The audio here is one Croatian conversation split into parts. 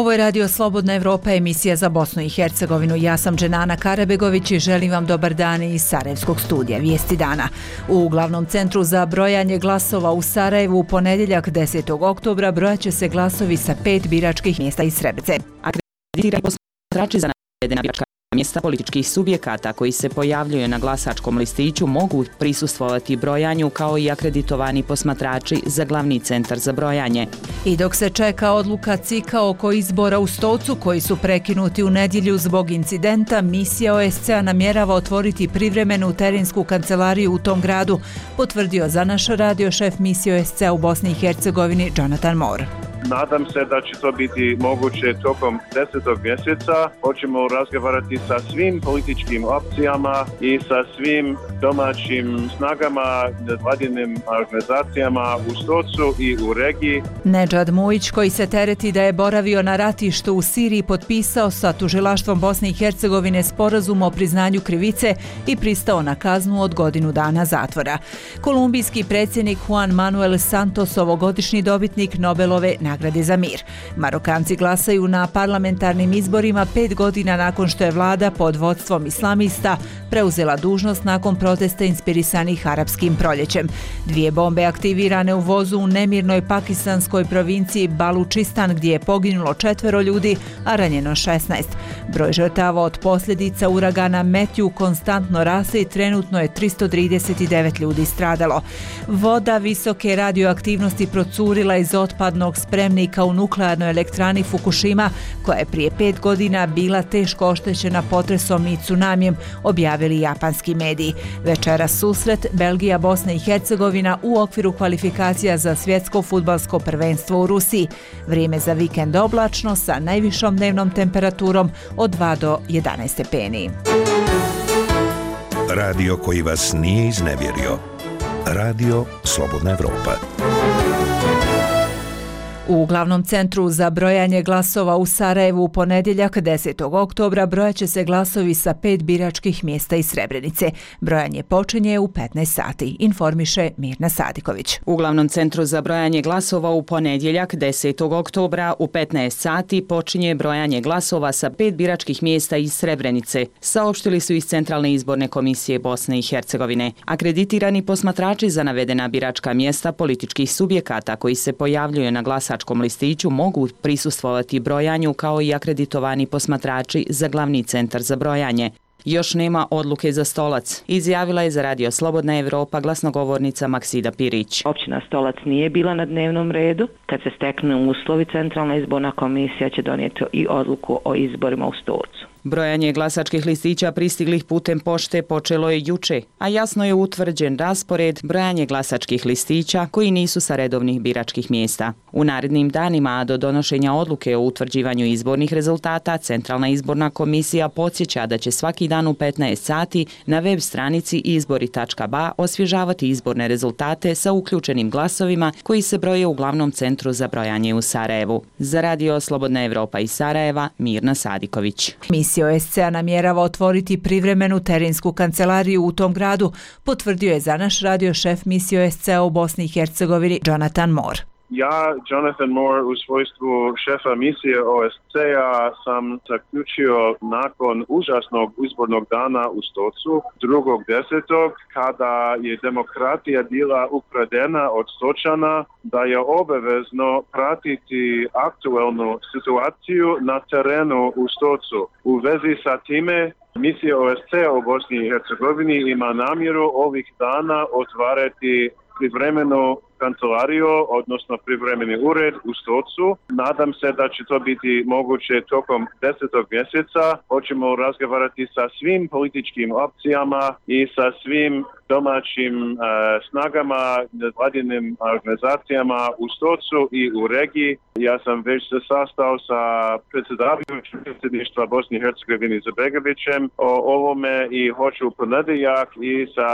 Ovo je Radio Slobodna Evropa, emisija za Bosnu i Hercegovinu. Ja sam Dženana Karabegović i želim vam dobar dan iz Sarajevskog studija. Vijesti dana. U glavnom centru za brojanje glasova u Sarajevu u ponedjeljak 10. oktobra brojat će se glasovi sa 5 biračkih mjesta iz Srebrenice. Akreditirani posmatrači za navedena biračka mjesta političkih subjekata koji se pojavljuju na glasačkom listiću mogu prisustvovati brojanju kao i akreditovani posmatrači za glavni centar za brojanje. I dok se čeka odluka CIK-a oko izbora u Stocu koji su prekinuti u nedjelju zbog incidenta, misija OSCE-a namjerava otvoriti privremenu terensku kancelariju u tom gradu, potvrdio za naš radio šef misije OSCE-a u Bosni i Hercegovini Jonathan Moore. Nadam se da će to biti moguće tokom 10. mjeseca. Hoćemo razgovarati sa svim političkim opcijama i sa svim domaćim snagama, nevladinim organizacijama u Stocu i u regiji. Nedžad Mujić, koji se tereti da je boravio na ratištu u Siriji, potpisao sa tužilaštvom Bosne i Hercegovine sporazum o priznanju krivice i pristao na kaznu od godinu dana zatvora. Kolumbijski predsjednik Juan Manuel Santos, ovogodišnji dobitnik Nobelove nagrade za mir. Marokanci glasaju na parlamentarnim izborima 5 godina nakon što je vlada pod vodstvom islamista preuzela dužnost nakon protesta inspirisanih arapskim proljećem. 2 bombe aktivirane u vozu u nemirnoj pakistanskoj provinciji Balučistan gdje je poginulo 4 ljudi, a ranjeno 16. Broj žrtava od posljedica uragana Metju konstantno raste i trenutno je 339 ljudi stradalo. Voda visoke radioaktivnosti procurila iz otpadnog spremnika u nuklearnoj elektrani Fukushima, koja je prije 5 godina bila teško oštećena potresom i tsunamijem, objavili japanski mediji. Večeras susret Belgija, Bosna i Hercegovina u okviru kvalifikacija za svjetsko fudbalsko prvenstvo u Rusiji. Vrijeme za vikend oblačno sa najvišom dnevnom temperaturom od 2 do 11 stepeni. Radio koji vas nije iznevjerio. Radio Slobodna Evropa. U glavnom centru za brojanje glasova u Sarajevu u ponedjeljak 10. oktobra brojat će se glasovi sa 5 biračkih mjesta iz Srebrenice. Brojanje počinje u 15 sati, informiše Mirna Sadiković. U glavnom centru za brojanje glasova u ponedjeljak 10. oktobra u 15 sati počinje brojanje glasova sa 5 biračkih mjesta iz Srebrenice, saopštili su iz Centralne izborne komisije Bosne i Hercegovine. Akreditirani posmatrači za navedena biračka mjesta političkih subjekata koji se pojavljuju na glasačkom listiću mogu prisustvovati brojanju kao i akreditovani posmatrači za glavni centar za brojanje. Još nema odluke za Stolac, izjavila je za Radio Slobodna Evropa glasnogovornica Maksida Pirić. Općina Stolac nije bila na dnevnom redu. Kad se steknu uslovi, Centralna izborna komisija će donijeti i odluku o izborima u Stolcu. Brojanje glasačkih listića pristiglih putem pošte počelo je juče, a jasno je utvrđen raspored brojanje glasačkih listića koji nisu sa redovnih biračkih mjesta. U narednim danima, a do donošenja odluke o utvrđivanju izbornih rezultata, Centralna izborna komisija podsjeća da će svaki dan u 15 sati na web stranici izbori.ba osvježavati izborne rezultate sa uključenim glasovima koji se broje u glavnom centru za brojanje u Sarajevu. Za Radio Slobodna Evropa iz Sarajeva, Mirna Sadiković. Misija OSCE-a namjerava otvoriti privremenu terensku kancelariju u tom gradu, potvrdio je za naš radio šef misije OSCE-a u Bosni i Hercegovini Jonathan Moore. Ja, Jonathan Moore, u svojstvu šefa misije OSCE-a sam zaključio nakon užasnog izbornog dana u Stocu 2.10. kada je demokratija bila ukradena od Stočana, da je obavezno pratiti aktualnu situaciju na terenu u Stocu. U vezi sa time, misija OSCE-a u Bosni i Hercegovini ima namjeru ovih dana otvarati privremenu kancelariju, odnosno privremeni ured u Stocu. Nadam se da će to biti moguće tokom 10. mjeseca. Hoćemo razgovarati sa svim političkim opcijama i sa svim domaćim snagama, nevladinim organizacijama u Stocu i u regiji. Ja sam već se sastao sa predsjedavajućim predsjedništva Bosne i Hercegovine Izetbegovićem o ovome i hoću u ponedjeljak i sa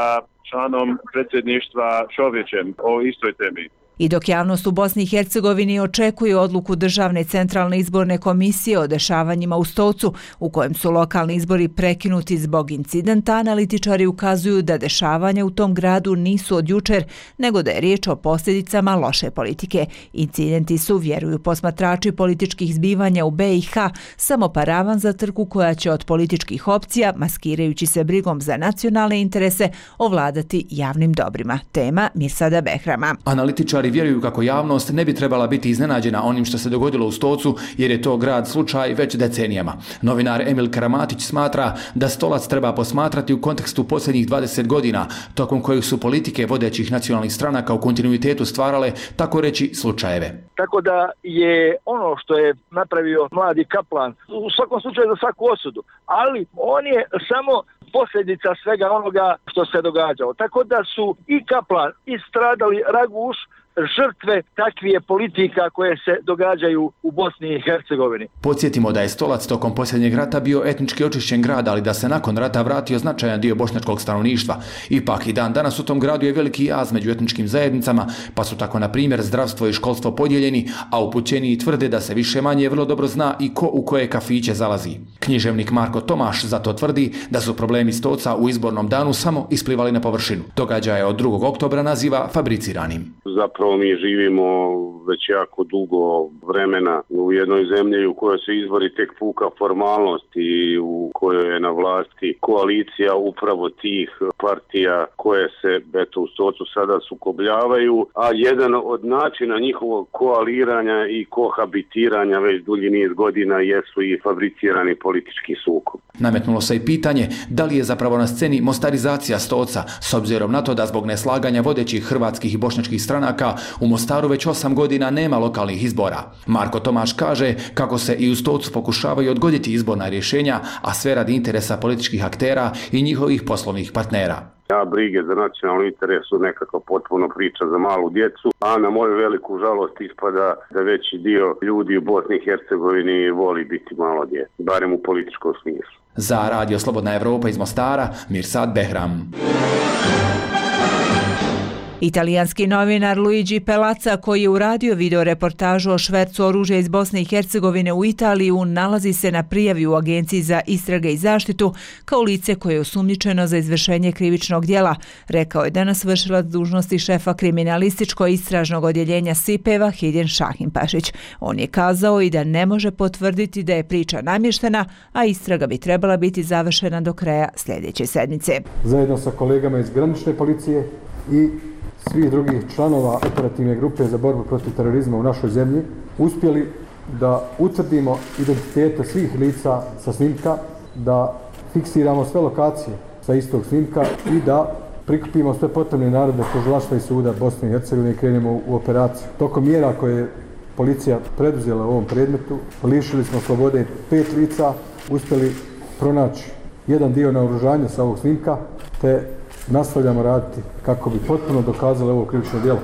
članom predsjedništva Čovječem o istoj temi. I dok javnost u Bosni i Hercegovini očekuje odluku Državne centralne izborne komisije o dešavanjima u Stocu, u kojem su lokalni izbori prekinuti zbog incidenta, analitičari ukazuju da dešavanja u tom gradu nisu od jučer, nego da je riječ o posljedicama loše politike. Incidenti su, vjeruju posmatrači političkih zbivanja u BiH, samo paravan za trku koja će od političkih opcija, maskirajući se brigom za nacionalne interese, ovladati javnim dobrima. Tema Mirsada Behrama. Analitičari vjeruju kako javnost ne bi trebala biti iznenađena onim što se dogodilo u Stocu, jer je to grad slučaj već decenijama. Novinar Emil Karamatić smatra da Stolac treba posmatrati u kontekstu posljednjih 20 godina, tokom kojih su politike vodećih nacionalnih stranaka u kontinuitetu stvarale, tako reći, slučajeve. Tako da je ono što je napravio mladi Kaplan u svakom slučaju za svaku osudu, ali on je samo posljedica svega onoga što se događalo. Tako da su i Kaplan i stradali Raguš žrtve takvije politika koje se događaju u Bosni i Hercegovini. Podsjetimo da je Stolac tokom posljednjeg rata bio etnički očišćen grad, ali da se nakon rata vratio značajan dio bošnjačkog stanovništva. Ipak i dan danas u tom gradu je veliki jaz među etničkim zajednicama, pa su tako na primjer zdravstvo i školstvo podijeljeni, a upućeniji tvrde da se više manje vrlo dobro zna i ko u koje kafiće zalazi. Književnik Marko Tomaš zato tvrdi da su problemi Stoca u izbornom danu samo isplivali na površinu. Događaje od 2. oktobra naziva fabriciranim. Zapravo mi živimo već jako dugo vremena u jednoj zemlji u kojoj se izbori tek puka formalnost i u kojoj je na vlasti koalicija upravo tih partija koje se u Stocu sada sukobljavaju, a jedan od načina njihovog koaliranja i kohabitiranja već dulji niz godina jesu i fabricirani politički sukob. Nametnulo se i pitanje da li je zapravo na sceni mostarizacija Stoca, s obzirom na to da zbog neslaganja vodećih hrvatskih i bošnjačkih stranaka u Mostaru već 8 godina nema lokalnih izbora. Marko Tomaš kaže kako se i u Stocu pokušavaju odgoditi izborna rješenja, a sve radi interesa političkih aktera i njihovih poslovnih partnera. Brige za nacionalni interes su nekako potpuno priča za malu djecu, a na moju veliku žalost ispada da veći dio ljudi u Bosni i Hercegovini voli biti malo djece, barem u političkom smislu. Za Radio Slobodna Evropa iz Mostara, Mirsad Behram. Italijanski novinar Luigi Pelaca, koji je uradio video reportažu o švercu oružja iz Bosne i Hercegovine u Italiju, nalazi se na prijavi u Agenciji za istrage i zaštitu kao lice koje je osumnjičeno za izvršenje krivičnog djela, rekao je danas vršilac dužnosti šefa kriminalističko-istražnog odjeljenja SIP-eva Hidjen Šahimpašić. On je kazao i da ne može potvrditi da je priča namještena, a istraga bi trebala biti završena do kraja sljedeće sedmice. Zajedno sa kolegama iz granične policije i svih drugih članova operativne grupe za borbu protiv terorizma u našoj zemlji uspjeli da utvrdimo identitete svih lica sa snimka, da fiksiramo sve lokacije sa istog snimka i da prikupimo sve potrebne naredbe tužilaštva i suda Bosne i Hercegovine i krenemo u operaciju. Tokom mjera koje je policija preduzela u ovom predmetu, lišili smo slobode 5 lica, uspjeli pronaći jedan dio naoružanja sa ovog snimka, te nastavljamo raditi kako bi potpuno dokazali ovo krivično djelo.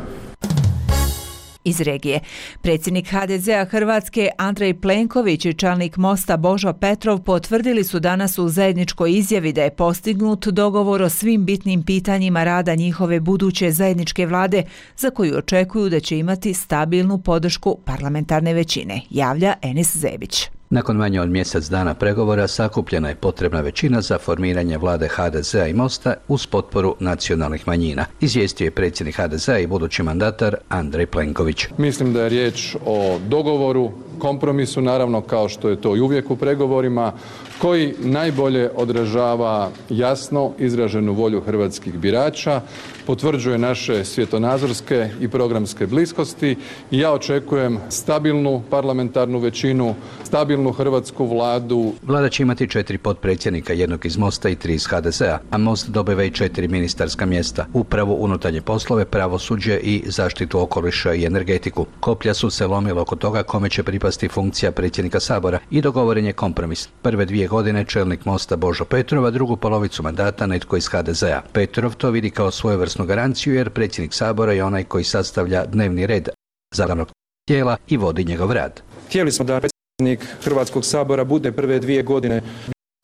Iz regije. Predsjednik HDZ-a Hrvatske Andrej Plenković i čelnik Mosta Božo Petrov potvrdili su danas u zajedničkoj izjavi da je postignut dogovor o svim bitnim pitanjima rada njihove buduće zajedničke vlade, za koju očekuju da će imati stabilnu podršku parlamentarne većine, javlja Enis Zebić. Nakon manje od mjesec dana pregovora sakupljena je potrebna većina za formiranje vlade HDZ-a i Mosta uz potporu nacionalnih manjina, izvijestio je predsjednik HDZ-a i budući mandatar Andrej Plenković. Mislim da je riječ o dogovoru, kompromisu, naravno kao što je to i uvijek u pregovorima, koji najbolje odražava jasno izraženu volju hrvatskih birača, potvrđuje naše svjetonazorske i programske bliskosti i ja očekujem stabilnu parlamentarnu većinu, stabilnu hrvatsku vladu. Vlada će imati 4 potpredsjednika, jednog iz Mosta i 3 iz HDZ-a, a Most dobiva i 4 ministarska mjesta, upravu, unutarnje poslove, pravosuđe i zaštitu okoliša i energetiku. Koplja su se lomila oko toga kome će pripasti funkcija predsjednika Sabora i dogovoren je kompromis. Prve 2 godine čelnik Mosta Božo Petrov, a drugu polovicu mandata netko iz HDZ-a. Petrov to vidi kao svojevrsnu garanciju jer predsjednik Sabora je onaj koji sastavlja dnevni red zakonodavnog tijela i vodi njegov rad. Htjeli smo da predsjednik Hrvatskog sabora bude prve 2 godine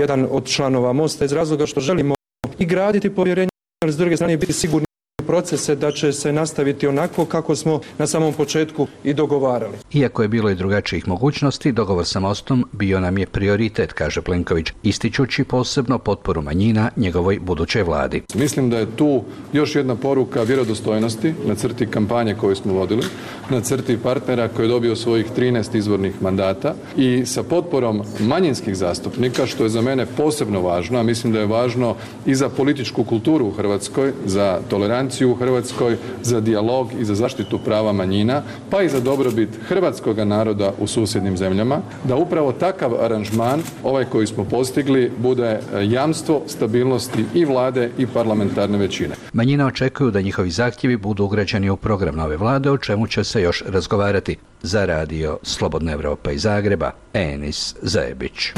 jedan od članova Mosta iz razloga što želimo i graditi povjerenje, ali s druge strane biti sigurni procese da će se nastaviti onako kako smo na samom početku i dogovarali. Iako je bilo i drugačijih mogućnosti, dogovor sa Mostom bio nam je prioritet, kaže Plenković, ističući posebno potporu manjina njegovoj budućoj vladi. Mislim da je tu još jedna poruka vjerodostojnosti na crti kampanje koju smo vodili, na crti partnera koji je dobio svojih 13 izvornih mandata i sa potporom manjinskih zastupnika, što je za mene posebno važno, a mislim da je važno i za političku kulturu u Hrvatskoj, za toleranciju u Hrvatskoj, za dijalog i za zaštitu prava manjina, pa i za dobrobit hrvatskog naroda u susjednim zemljama, da upravo takav aranžman, ovaj koji smo postigli, bude jamstvo stabilnosti i vlade i parlamentarne većine. Manjina očekuju da njihovi zahtjevi budu ugrađeni u program nove vlade, o čemu će se još razgovarati. Za radio Slobodna Evropa iz Zagreba, Enis Zajebić.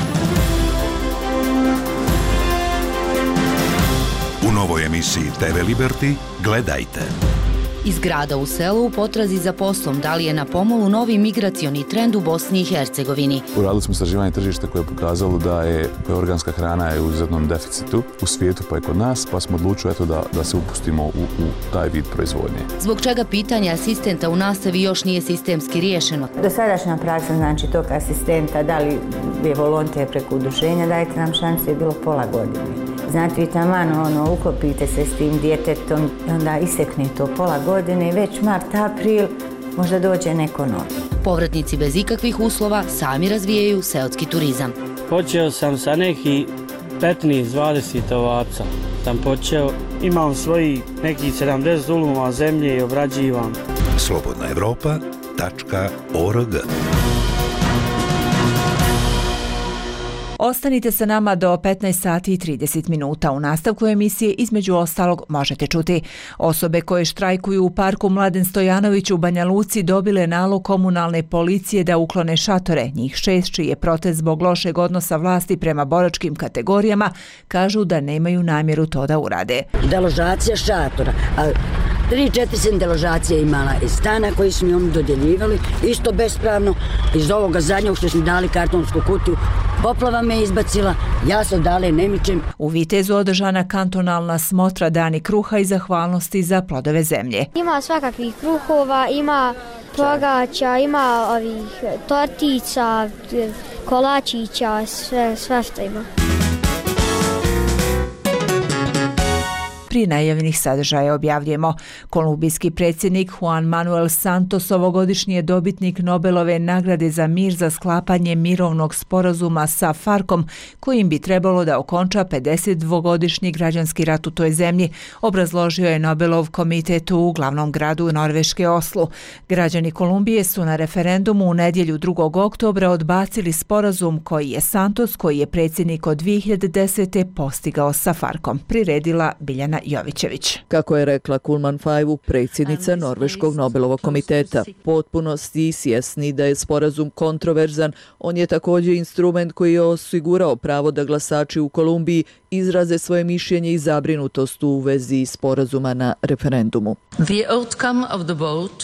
U novoj emisiji TV Liberty gledajte. Iz grada u selu u potrazi za poslom, da li je na pomolu novi migracioni trend u Bosni i Hercegovini. Uradili smo istraživanje tržišta koje je pokazalo da je organska hrana je u izuzetnom deficitu u svijetu pa i kod nas, pa smo odlučili da se upustimo u taj vid proizvodnje. Zbog čega pitanje asistenta u nastavi još nije sistemski riješeno. Dosadašnja praksa znači tog asistenta, da li je volonter preko udruženja, dajte nam šansu, je bilo pola godine. Znate, vi taman uklopite se s tim djetetom i onda isekne to pola godine i već mart, april možda dođe neko novi. Povratnici bez ikakvih uslova sami razvijaju seoski turizam. Počeo sam sa neki 15-20 ovaca. Imam svojih nekih 70 duluma zemlje i obrađivam. slobodnaevropa.org. Ostanite sa nama do 15 sati i 30 minuta. U nastavku emisije između ostalog možete čuti: osobe koje štrajkuju u parku Mladen Stojanović u Banja Luci dobile nalog komunalne policije da uklone šatore. Njih 6 čiji je protest zbog lošeg odnosa vlasti prema boračkim kategorijama kažu da nemaju namjeru to da urade. Deložacija šatora. 3-4 sam deložacija imala iz stana koji su mi oni dodjeljivali, isto bespravno, iz ovoga zadnjeg što smo dali kartonsku kutiju. Poplava me izbacila, ja se odale ne mičem. U Vitezu održana kantonalna smotra Dani kruha i zahvalnosti za plodove zemlje. Ima svakakvih kruhova, ima pogača, ima ovih tortica, kolačića, sve što ima. Prije najavljenih sadržaja objavljujemo: kolumbijski predsjednik Juan Manuel Santos ovogodišnji je dobitnik Nobelove nagrade za mir za sklapanje mirovnog sporazuma sa FARC-om, kojim bi trebalo da okonča 52-godišnji građanski rat u toj zemlji, obrazložio je Nobelov komitet u glavnom gradu Norveške Oslu. Građani Kolumbije su na referendumu u nedjelju 2. oktobra odbacili sporazum koji je Santos, koji je predsjednik od 2010. postigao sa FARC-om. Priredila Biljana Jovićević. Kako je rekla Kulman Fajvu, predsjednica Norveškog Nobelovog komiteta, potpunosti svjesni da je sporazum kontroverzan, on je također instrument koji je osigurao pravo da glasači u Kolumbiji izraze svoje mišljenje i zabrinutost u vezi sporazuma na referendumu.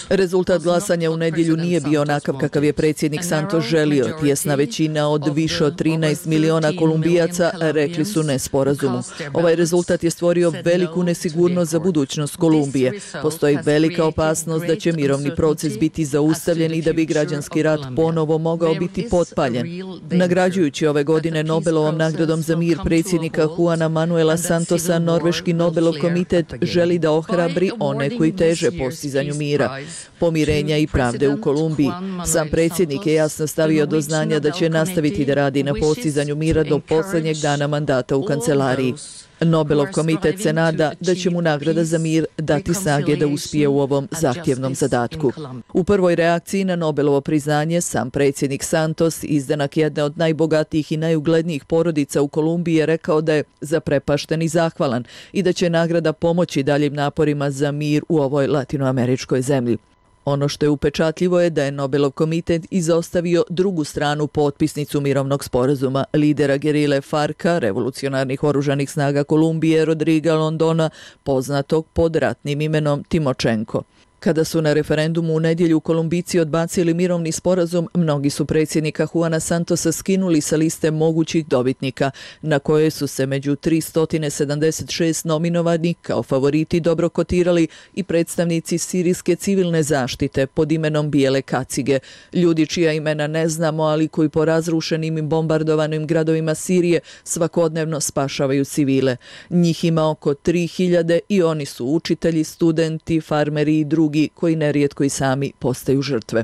Rezultat glasanja u nedjelju nije bio onakav kakav je predsjednik Santos želio. Tjesna većina od više od 13 miliona Kolumbijaca rekli su ne sporazumu. Ovaj rezultat je stvorio veliku nesigurnost za budućnost Kolumbije. Postoji velika opasnost da će mirovni proces biti zaustavljen i da bi građanski rat ponovo mogao biti potpaljen. Nagrađujući ove godine Nobelovom nagradom za mir predsjednika Juana Manuela Santosa, Norveški Nobelov komitet želi da ohrabri one koji teže postizanju mira, pomirenja i pravde u Kolumbiji. Sam predsjednik je jasno stavio do znanja da će nastaviti da radi na postizanju mira do posljednjeg dana mandata u kancelariji. Nobelov komitet se nada da će mu nagrada za mir dati snage da uspije u ovom zahtjevnom zadatku. U prvoj reakciji na Nobelovo priznanje sam predsjednik Santos, izdanak jedne od najbogatijih i najuglednijih porodica u Kolumbiji, je rekao da je zaprepašten i zahvalan i da će nagrada pomoći daljim naporima za mir u ovoj latinoameričkoj zemlji. Ono što je upečatljivo je da je Nobelov komitet izostavio drugu stranu potpisnicu mirovnog sporazuma, lidera gerile FARC-a, revolucionarnih oružanih snaga Kolumbije, Rodriga Londona, poznatog pod ratnim imenom Timočenko. Kada su na referendumu u nedjelju Kolumbijci odbacili mirovni sporazum, mnogi su predsjednika Juana Santosa skinuli sa liste mogućih dobitnika, na koje su se među 376 nominovanih kao favoriti dobro kotirali i predstavnici sirijske civilne zaštite pod imenom Bijele kacige, ljudi čija imena ne znamo, ali koji po razrušenim i bombardovanim gradovima Sirije svakodnevno spašavaju civile. Njih ima oko 3000 i oni su učitelji, studenti, farmeri i drugi koji nerijetko i sami postaju žrtve.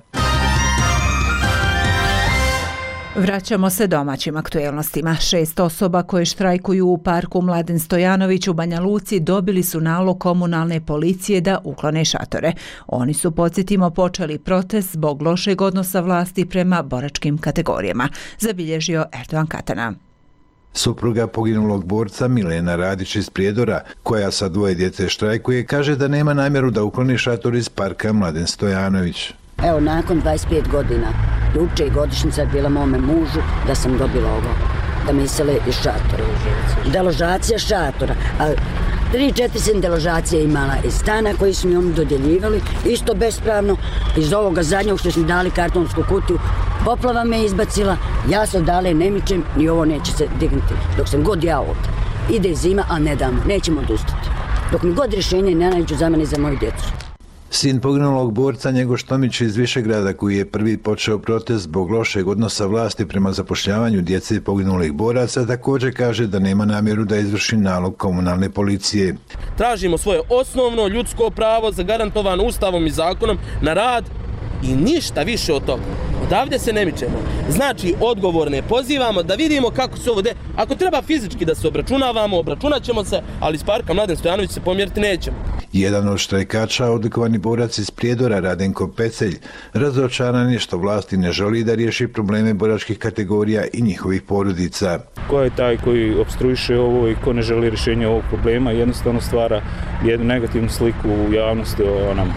Vraćamo se domaćim aktuelnostima. 6 osoba koje štrajkuju u parku Mladen Stojanović u Banja Luci dobili su nalog komunalne policije da uklone šatore. Oni su, podsjetimo, počeli protest zbog lošeg odnosa vlasti prema boračkim kategorijama, zabilježio Erdogan Katana. Supruga poginulog borca Milena Radić iz Prijedora, koja sa 2 djece štrajkuje, kaže da nema namjeru da ukloni šator iz parka Mladen Stojanović. Evo, nakon 25 godina, juče je godišnjica bila mome mužu da sam dobila ovo, da mi isele iz šatora. Deložacija šatora, a 3-4 sam deložacije imala iz stana koji su mi oni dodjeljivali, isto bespravno, iz ovoga zadnjeg što smo dali kartonsku kutiju. Poplava me izbacila, ja se odale ne mičem, ni ovo neće se dignuti. Dok sam god ja ovdje. Ide zima, a ne damo, nećemo odustati. Dok mi god rješenje ne nađu za mene i za moju djecu. Sin poginulog borca Njegoš Tomić iz Višegrada, koji je prvi počeo protest zbog lošeg odnosa vlasti prema zapošljavanju djece poginulih boraca, također kaže da nema namjeru da izvrši nalog komunalne policije. Tražimo svoje osnovno ljudsko pravo zagarantovano Ustavom i zakonom na rad i ništa više od toga. Odavde se ne mičemo. Znači, odgovorne pozivamo da vidimo kako se ovo Ako treba fizički da se obračunavamo, obračunat ćemo se, ali iz parka Mladen Stojanović se pomjeriti nećemo. Jedan od štrajkača, odlikovani borac iz Prijedora, Radenko Pecelj, razočaran je što vlasti ne želi da riješi probleme boračkih kategorija i njihovih porodica. Ko je taj koji opstruiše ovo i ko ne želi rješenje ovog problema, jednostavno stvara jednu negativnu sliku u javnosti o nama.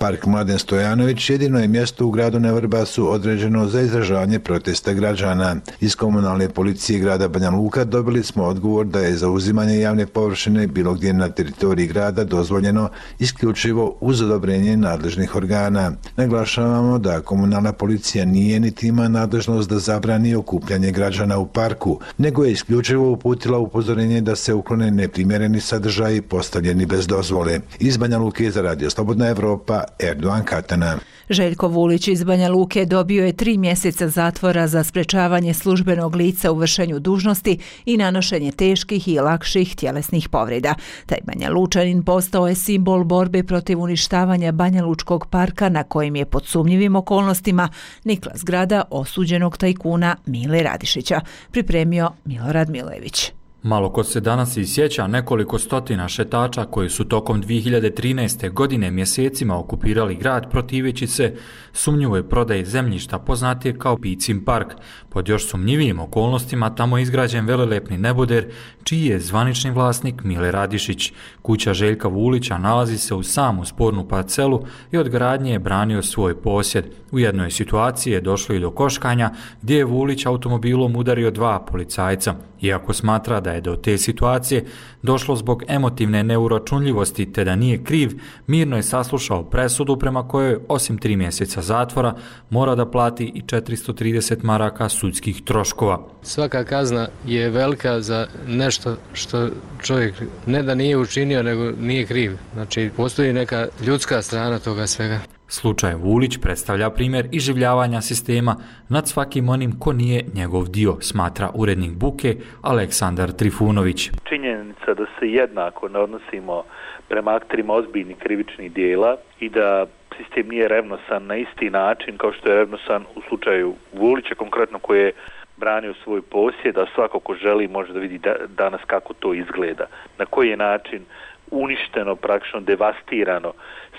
Park Mladen Stojanović jedino je mjesto u gradu na Vrbasu određeno za izražavanje protesta građana. Iz komunalne policije grada Banja Luka dobili smo odgovor da je zauzimanje javne površine bilo gdje na teritoriji grada dozvoljeno isključivo uz odobrenje nadležnih organa. Naglašavamo da komunalna policija nije niti ima nadležnost da zabrani okupljanje građana u parku, nego je isključivo uputila upozorenje da se uklone neprimjereni sadržaji postavljeni bez dozvole. Iz Banja Luke za Radio Slobodna Evropa, Erdogan Katana. Željko Vulić iz Banja Luke dobio je 3 mjeseca zatvora za sprečavanje službenog lica u vršenju dužnosti i nanošenje teških i lakših tjelesnih povreda. Taj Banja Lučanin postao je simbol borbe protiv uništavanja Banja Lučkog parka, na kojim je pod sumnjivim okolnostima nikla zgrada osuđenog tajkuna Mile Radišića, pripremio Milorad Milević. Malo ko se danas i sjeća nekoliko stotina šetača koji su tokom 2013. godine mjesecima okupirali grad protiveći se sumnjivoj prodaji zemljišta poznatije kao Picin park. Pod još sumnjivijim okolnostima tamo je izgrađen velelepni neboder čiji je zvanični vlasnik Mile Radišić. Kuća Željka Vulića nalazi se u samu spornu parcelu i od gradnje je branio svoj posjed. U jednoj situaciji je došlo i do koškanja gdje je Vulić automobilom udario 2 policajca. Iako smatra da je do te situacije došlo zbog emotivne neuračunljivosti te da nije kriv, mirno je saslušao presudu prema kojoj osim 3 mjeseca zatvora mora da plati i 430 maraka sudskih troškova. Svaka kazna je velika za nešto što čovjek ne da nije učinio, nego nije kriv. Znači, postoji neka ljudska strana toga svega. Slučaj Vulić predstavlja primjer iživljavanja sistema nad svakim onim ko nije njegov dio, smatra urednik Buke Aleksandar Trifunović. Činjenica da se jednako ne odnosimo prema akterima ozbiljnih krivičnih dijela i da sistem nije revnosan na isti način kao što je revnosan u slučaju Vulića, konkretno koji je branio svoj posjed, a svako ko želi može da vidi danas kako to izgleda, na koji je način uništeno, praktično devastirano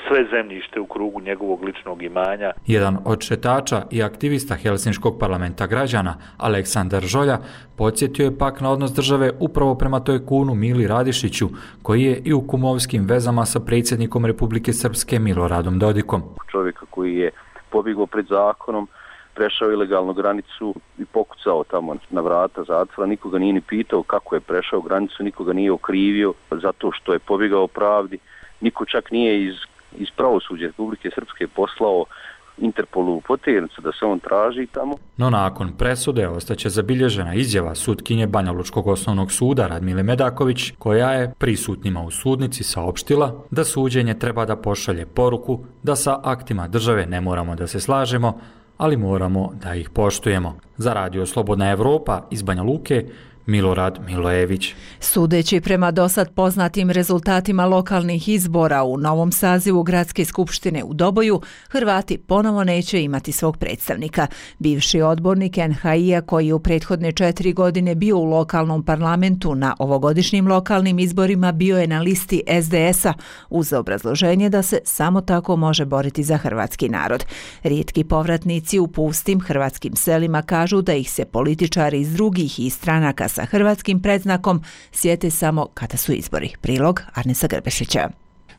sve zemljište u krugu njegovog ličnog imanja. Jedan od šetača i aktivista Helsinškog parlamenta građana, Aleksandar Žolja, podsjetio je pak na odnos države upravo prema tajkunu Mili Radišiću, koji je i u kumovskim vezama sa predsjednikom Republike Srpske Miloradom Dodikom. Čovjeka koji je pobjegao pred zakonom, prešao ilegalnu granicu i pokucao tamo na vrata zatvora, nikoga nije ni pitao kako je prešao granicu, nikoga nije okrivio zato što je pobjegao pravdi, niko čak nije iz iz pravosuđa Republike Srpske poslao Interpolu potjernicu da se on traži tamo. No nakon presude ostaće zabilježena izjava sutkinje Banjalučkog osnovnog suda Radmile Medaković, koja je prisutnima u sudnici saopštila da suđenje treba da pošalje poruku da sa aktima države ne moramo da se slažemo, ali moramo da ih poštujemo. Za Radio Slobodna Evropa iz Banja Luke, Milorad Milojević. Sudeći prema dosad poznatim rezultatima lokalnih izbora u novom sazivu Gradske skupštine u Doboju, Hrvati ponovo neće imati svog predstavnika. Bivši odbornik NHI-a koji je u prethodne 4 godine bio u lokalnom parlamentu na ovogodišnjim lokalnim izborima bio je na listi SDS-a uz obrazloženje da se samo tako može boriti za hrvatski narod. Rijetki povratnici u pustim hrvatskim selima kažu da ih se političari iz drugih i stranaka sa hrvatskim predznakom sjete samo kada su izbori. Prilog Arnesa Grbešića.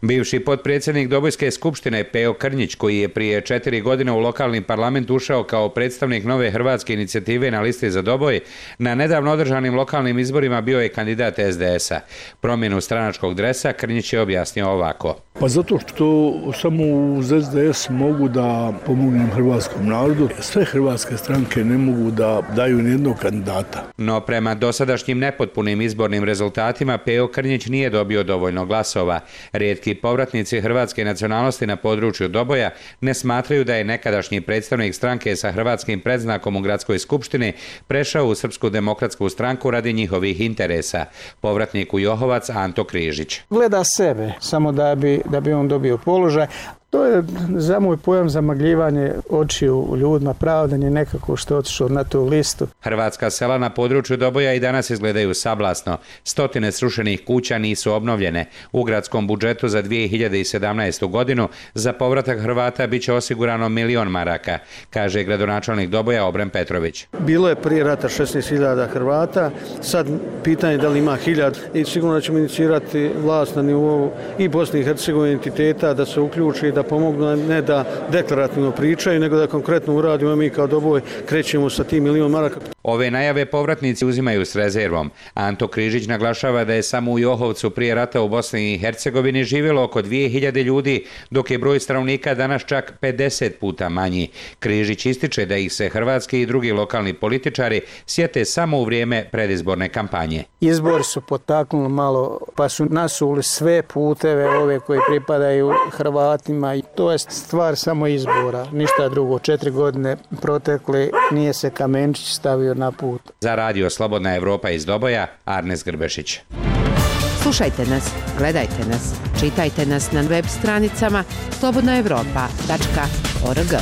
Bivši potpredsjednik Dobojske skupštine Peo Krnjić, koji je prije 4 godine u lokalni parlament ušao kao predstavnik nove hrvatske inicijative na listi za Doboj, na nedavno održanim lokalnim izborima bio je kandidat SDS-a. Promjenu stranačkog dresa Krnjić je objasnio ovako. Pa zato što samo uz SDS mogu da pomognem hrvatskom narodu. Sve hrvatske stranke ne mogu da daju nijednog kandidata. No prema dosadašnjim nepotpunim izbornim rezultatima Peo Krnjić nije dobio dovoljno glasova. Rijetki povratnici hrvatske nacionalnosti na području Doboja ne smatraju da je nekadašnji predstavnik stranke sa hrvatskim predznakom u Gradskoj skupštini prešao u Srpsku demokratsku stranku radi njihovih interesa. Povratnik u Johovac Anto Križić. Gleda sebe, samo da bi on dobio položaj. To je za moj pojam zamagljivanje očiju ljudima, pravdanje nekako što je otišao na tu listu. Hrvatska sela na području Doboja i danas izgledaju sablasno. Stotine srušenih kuća nisu obnovljene. U gradskom budžetu za 2017. godinu za povratak Hrvata bit će osigurano 1 milion maraka, kaže gradonačelnik Doboja Obren Petrović. Bilo je prije rata 16.000 Hrvata, sad pitanje da li ima 1000 i sigurno da ćemo inicirati vlast na nivou i Bosne i Hercegovine entiteta da se uključi, da pomognu, ne da deklarativno pričaju, nego da konkretno uradimo, mi kao Doboj krećemo sa tim 1 milion maraka. Ove najave povratnici uzimaju s rezervom. Anto Križić naglašava da je samo u Johovcu prije rata u Bosni i Hercegovini živjelo oko 2000 ljudi, dok je broj stanovnika danas čak 50 puta manji. Križić ističe da ih se hrvatski i drugi lokalni političari sjete samo u vrijeme predizborne kampanje. Izbori su potaknuli malo, pa su nasuli sve puteve ove koji pripadaju Hrvatima i to je stvar samo izbora, ništa drugo. 4 godine protekli, nije se kamenčić stavio na put. Za Radio Slobodna Evropa iz Doboja, Arnes Grbešić. Slušajte nas, gledajte nas, čitajte nas na web stranicama slobodnaevropa.org.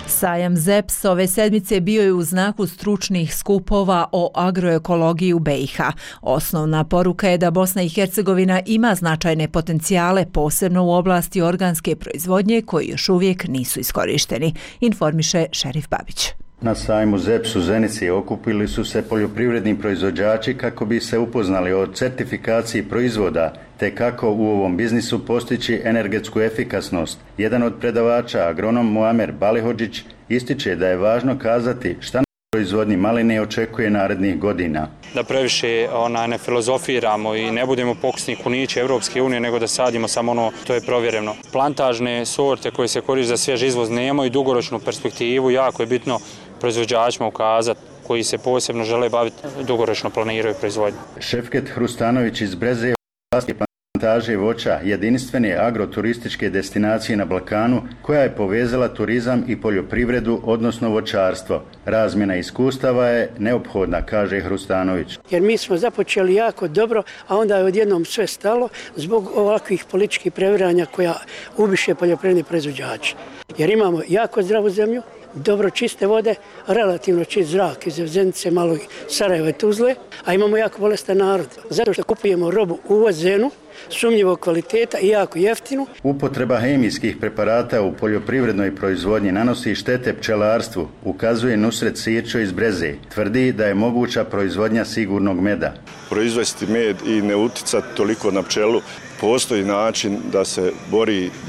Sajam ZEPS ove sedmice bio je u znaku stručnih skupova o agroekologiji u BiH. Osnovna poruka je da Bosna i Hercegovina ima značajne potencijale, posebno u oblasti organske proizvodnje koji još uvijek nisu iskorišteni, informiše Šerif Babić. Na sajmu ZEPS u Zenici okupili su se poljoprivredni proizvođači kako bi se upoznali o certifikaciji proizvoda te kako u ovom biznisu postići energetsku efikasnost. Jedan od predavača, agronom Muamer Balihodžić, ističe da je važno kazati šta na proizvodnji maline očekuje narednih godina. Da previše ne filozofiramo i ne budemo pokusni kunići Evropske unije, nego da sadimo samo ono to je provjereno. Plantažne sorte koje se koriste za svjež izvoz nemaju dugoročnu perspektivu, jako je bitno proizvođačima ukazati koji se posebno žele baviti, dugoročno planiraju proizvodnju. Šefket Hrustanović iz Breze vlasti plantaže voća jedinstvene agroturističke destinacije na Balkanu koja je povezala turizam i poljoprivredu, odnosno voćarstvo. Razmjena iskustava je neophodna, kaže Hrustanović. Jer mi smo započeli jako dobro, a onda je odjednom sve stalo zbog ovakvih političkih previranja koja ubiše poljoprivredni proizvođači. Jer imamo jako zdravu zemlju, dobro čiste vode, relativno čist zrak iz Zenice, malo Sarajeva i Tuzle, a imamo jako bolestan narod. Zato što kupujemo robu uvozenu, sumnjivog kvaliteta i jako jeftinu. Upotreba hemijskih preparata u poljoprivrednoj proizvodnji nanosi štete pčelarstvu, ukazuje Nusret Sirčo iz Breze. Tvrdi da je moguća proizvodnja sigurnog meda. Proizvesti med i ne uticati toliko na pčelu, postoji način da se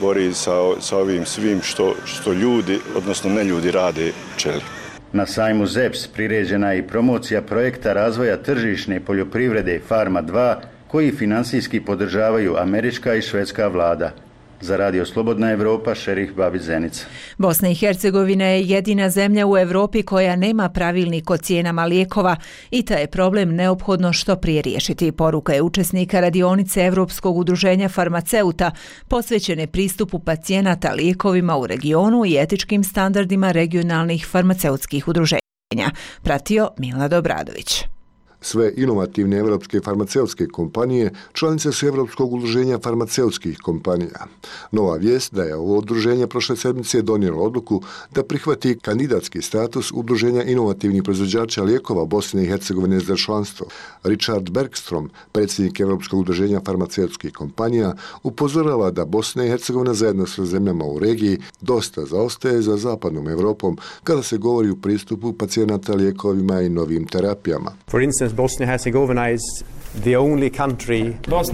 bori sa ovim svim što ljudi, odnosno ne ljudi, rade pčeli. Na sajmu ZEPS priređena je i promocija projekta razvoja tržišne poljoprivrede Farma 2, koji finansijski podržavaju američka i švedska vlada. Za Radio Slobodna Evropa, Šerih Babić Zenica. Bosna i Hercegovina je jedina zemlja u Evropi koja nema pravilnik o cijenama lijekova i taj je problem neophodno što prije riješiti. Poruka je učesnika radionice Evropskog udruženja farmaceuta posvećene pristupu pacijenata lijekovima u regionu i etičkim standardima regionalnih farmaceutskih udruženja. Pratio Milad Obradović. Sve inovativne evropske farmaceutske kompanije članice su Evropskog udruženja farmaceutskih kompanija. Nova vijest da je ovo udruženje prošle sedmice donijelo odluku da prihvati kandidatski status udruženja inovativnih proizvođača lijekova Bosne i Hercegovine za članstvo. Richard Bergstrom, predsjednik Evropskog udruženja farmaceutskih kompanija, upozorava da Bosna i Hercegovina zajedno sa zemljama u regiji dosta zaostaje za zapadnom Evropom kada se govori o pristupu pacijenata lijekovima i novim terapijama. Bosnia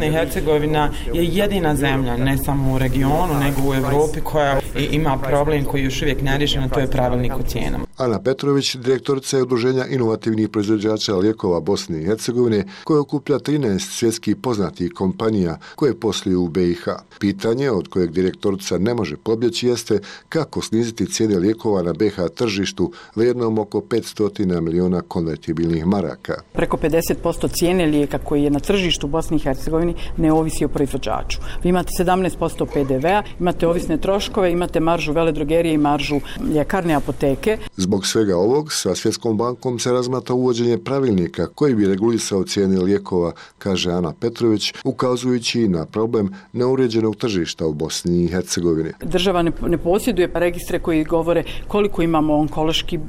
i Hercegovina je jedina zemlja, ne samo u regionu, nego u Evropi koja ima problem koji još uvijek neriješen, a to je pravilnik o cijenama. Ana Petrović, direktorica je udruženja inovativnih proizvođača lijekova Bosne i Hercegovine, koja okuplja 13 svjetskih poznatih kompanija koje posluju u BiH. Pitanje od kojeg direktorica ne može pobjeći jeste kako sniziti cijene lijekova na BiH tržištu vrijednom oko 500 miliona konvertibilnih maraka. Preko 50% cijene lijeka koji je na tržištu u Bosni i Hercegovini ne ovisi o proizvođaču. Vi imate 17% PDV-a, imate ovisne troškove, imate maržu veledrogerije i maržu ljekarne apoteke. Zbog svega ovog, sa Svjetskom bankom se razmatra uvođenje pravilnika koji bi regulisao cijene lijekova, kaže Ana Petrović, ukazujući na problem neuređenog tržišta u Bosni i Hercegovini. Država ne posjeduje registre koji govore koliko imamo onkoloških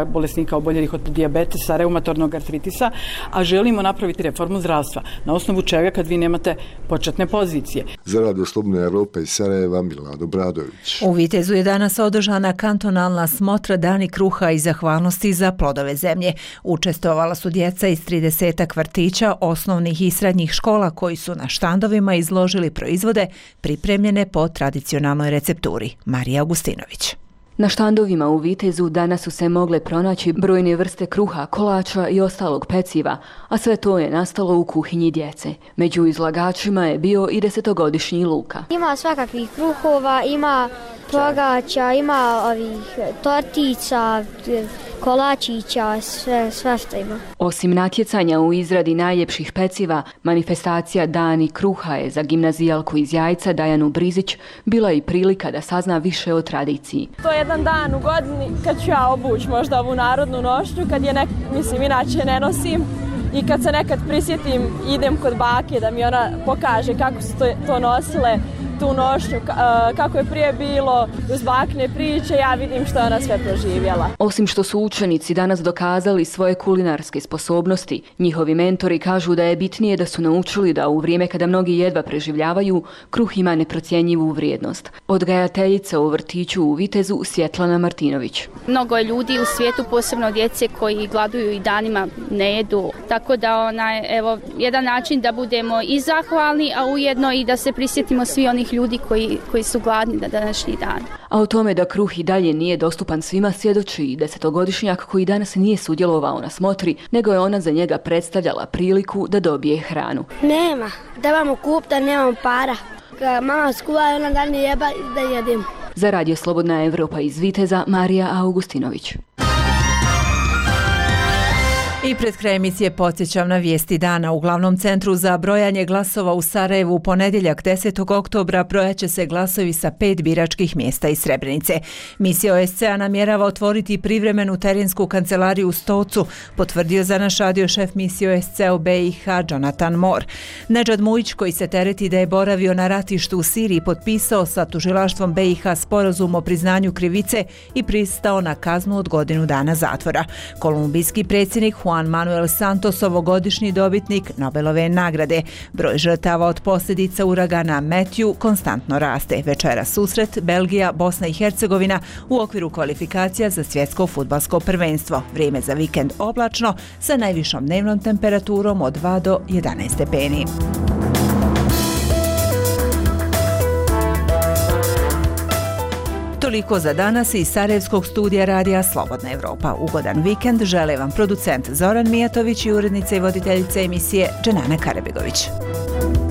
bolesnika oboljelih od dijabetesa, reumatornog artritisa, a želimo napraviti reformu zdravstva. Na osnovu čega kad vi nemate početne pozicije. Za Radio Slobodne Evrope iz Sarajeva, Milad Obradović. U Vitezu je danas održana kantonalna smotra Dani kruha i zahvalnosti za plodove zemlje. Učestvovala su djeca iz 30 vrtića, osnovnih i srednjih škola koji su na štandovima izložili proizvode pripremljene po tradicionalnoj recepturi. Marija Augustinović. Na štandovima u Vitezu danas su se mogle pronaći brojne vrste kruha, kolača i ostalog peciva, a sve to je nastalo u kuhinji djece. Među izlagačima je bio i 10-godišnji Luka. Ima svakakvih kruhova, ima pogača, ima tortica, kolačića, sve što ima. Osim natjecanja u izradi najljepših peciva, manifestacija Dani kruha je za gimnazijalku iz Jajca Dajanu Brizić bila i prilika da sazna više o tradiciji. To je jedan dan u godini kad ću ja obući možda ovu narodnu nošnju, kad je inače ne nosim. I kad se nekad prisjetim, idem kod bake da mi ona pokaže kako su to nosile, tu nošnju, kako je prije bilo, uz bakine priče, ja vidim što je ona sve proživjela. Osim što su učenici danas dokazali svoje kulinarske sposobnosti, njihovi mentori kažu da je bitnije da su naučili da u vrijeme kada mnogi jedva preživljavaju, kruh ima neprocjenjivu vrijednost. Odgajateljica u vrtiću u Vitezu Svjetlana Martinović. Mnogo je ljudi u svijetu, posebno djece koji gladuju i danima ne jedu. Tako da jedan način da budemo i zahvalni, a ujedno i da se prisjetimo svi onih ljudi koji su gladni na današnji dan. A o tome da kruh i dalje nije dostupan svima svjedoči i 10-godišnjak koji danas nije sudjelovao na smotri, nego je ona za njega predstavljala priliku da dobije hranu. Nema, trebamo kupiti, da nemamo para. Mama skuva i ona dan jeba da jedemo. Za Radio Slobodna Evropa iz Viteza, Marija Augustinović. I pred kraj emisije podsjećam na vijesti dana. U glavnom centru za brojanje glasova u Sarajevu u ponedjeljak 10. oktobra brojaće se glasovi sa 5 biračkih mjesta iz Srebrenice. Misija OSCE-a namjerava otvoriti privremenu terensku kancelariju u Stocu, potvrdio za naš radio šef misije OSCE-a u BiH Jonathan Moore. Nedžad Mujić, koji se tereti da je boravio na ratištu u Siriji, potpisao sa tužilaštvom BiH sporazum o priznanju krivice i pristao na kaznu od godinu dana zatvora. Kolumbijski predsjednik Juan Manuel Santos, ovogodišnji dobitnik Nobelove nagrade. Broj žrtava od posljedica uragana Matthew konstantno raste. Večera susret Belgija, Bosna i Hercegovina u okviru kvalifikacija za svjetsko fudbalsko prvenstvo. Vrijeme za vikend oblačno sa najvišom dnevnom temperaturom od 2 do 11 stepeni. Toliko za danas iz Sarajevskog studija radija Slobodna Evropa. Ugodan vikend žele vam producent Zoran Mijatović i urednica i voditeljica emisije Dženana Karabegović. Thank you.